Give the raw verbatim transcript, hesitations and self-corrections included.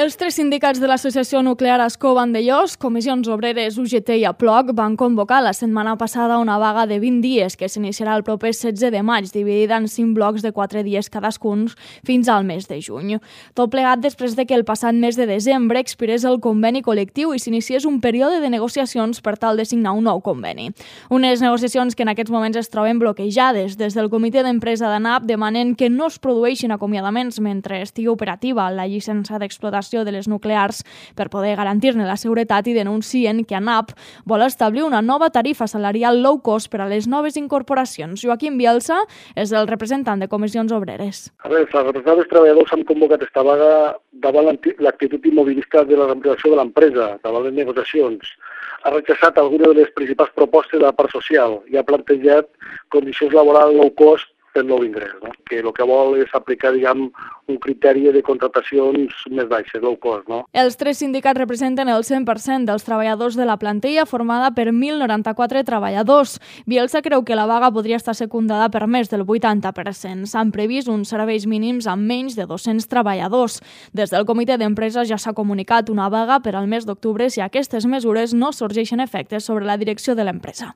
Els tres sindicats de l'Associació Nuclear Ascó Vandellòs, Comissions Obreres, U G T i Aploc van convocar la setmana passada una vaga de vint dies que s'iniciarà el proper setze de maig, dividida en cinc blocs de quatre dies cadascun fins al mes de juny. Tot plegat després de que el passat mes de desembre expirés el conveni col·lectiu i s'iniciés un període de negociacions per tal de signar un nou conveni. Unes negociacions que en aquests moments es troben bloquejades. Des del comitè d'empresa d'ANAP demanen que no es produeixin acomiadaments mentre estigui operativa la llicència d'explotació de les nuclears per poder garantir-ne la seguretat i denuncien que ANAP vol establir una nova tarifa salarial low cost per a les noves incorporacions. Joaquim Bielsa és el representant de Comissions Obreres. A veure, els representants dels treballadors han convocat esta vaga davant l'actitud immobilista de la representació de l'empresa, davant les negociacions. Ha rechaçat algunes de les principals propostes de la part social i ha plantejat condicions laborals low cost per nou ingrés, no? Que el que vol és aplicar, diguem, un criteri de contratacions més baixes, low cost, no? Els tres sindicats representen el cent per cent dels treballadors de la plantilla formada per mil noranta-quatre treballadors. Bielsa creu que la vaga podria estar secundada per més del vuitanta per cent. S'han previst uns serveis mínims amb menys de dos-cents treballadors. Des del comitè d'empresa ja s'ha comunicat una vaga per al mes d'octubre si aquestes mesures no sorgeixen efectes sobre la direcció de l'empresa.